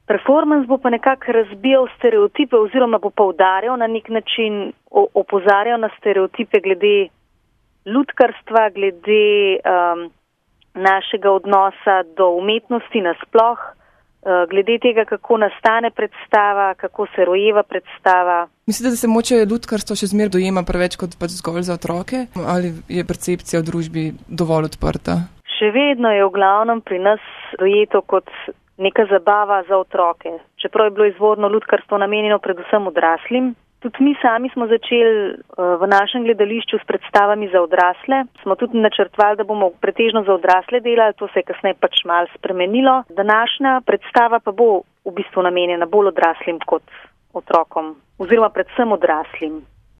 Performance bo pa nekako razbijal stereotipe oziroma bo poudarjal na nek način, opozarjal na stereotipe glede lutkarstva, glede našega odnosa do umetnosti nasploh, glede tega, kako nastane predstava, kako se rojeva predstava. Mislite, da se moče lutkarstvo še zmer dojema preveč kot pač zgolj za otroke? Ali je percepcija v družbi dovolj odprta? Še vedno je v glavnem pri nas dojeto kot neka zabava za otroke. Čeprav je bilo izvorno lutkarstvo namenjeno predvsem odraslim. Tudi mi sami smo začeli v našem gledališču s predstavami za odrasle. Smo tudi načrtovali, da bomo pretežno za odrasle delali, to se je kasneje pač malo spremenilo. Današnja predstava pa bo v bistvu namenjena bolj odraslim kot otrokom, oziroma predvsem odraslim.